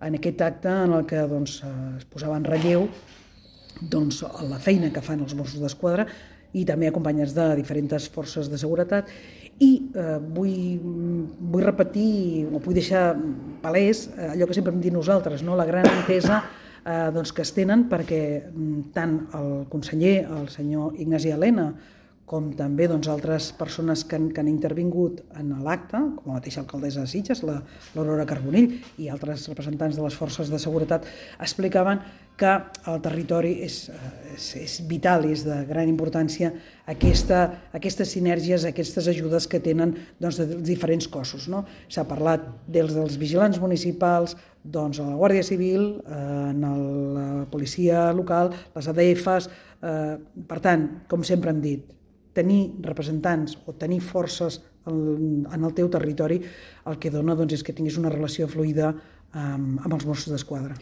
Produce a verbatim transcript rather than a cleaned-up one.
en aquest acte en el que doncs, es posava en relleu doncs, la feina que fan els Mossos d'Esquadra i també acompanyats de diferents forces de seguretat. I eh, vull, vull repetir o vull deixar palès allò que sempre hem dit nosaltres, no? La gran entesa eh, doncs, que es tenen perquè tant el conseller, el senyor Ignasi Elena, com també doncs, altres persones que han, que han intervingut en l'acte, com la mateixa alcaldessa de Sitges, l'Aurora Carbonell i altres representants de les forces de seguretat, explicaven que el territori és, és, és vital i és de gran importància aquesta, aquestes sinergies, aquestes ajudes que tenen doncs, de diferents cossos. No? S'ha parlat dels, dels vigilants municipals, doncs, a la Guàrdia Civil, eh, en el, la policia local, les A D Fs. Eh, per tant, com sempre hem dit, tenir representants o tenir forces en el teu territori el que dona doncs, és que tinguis una relació fluida amb els Mossos d'Esquadra.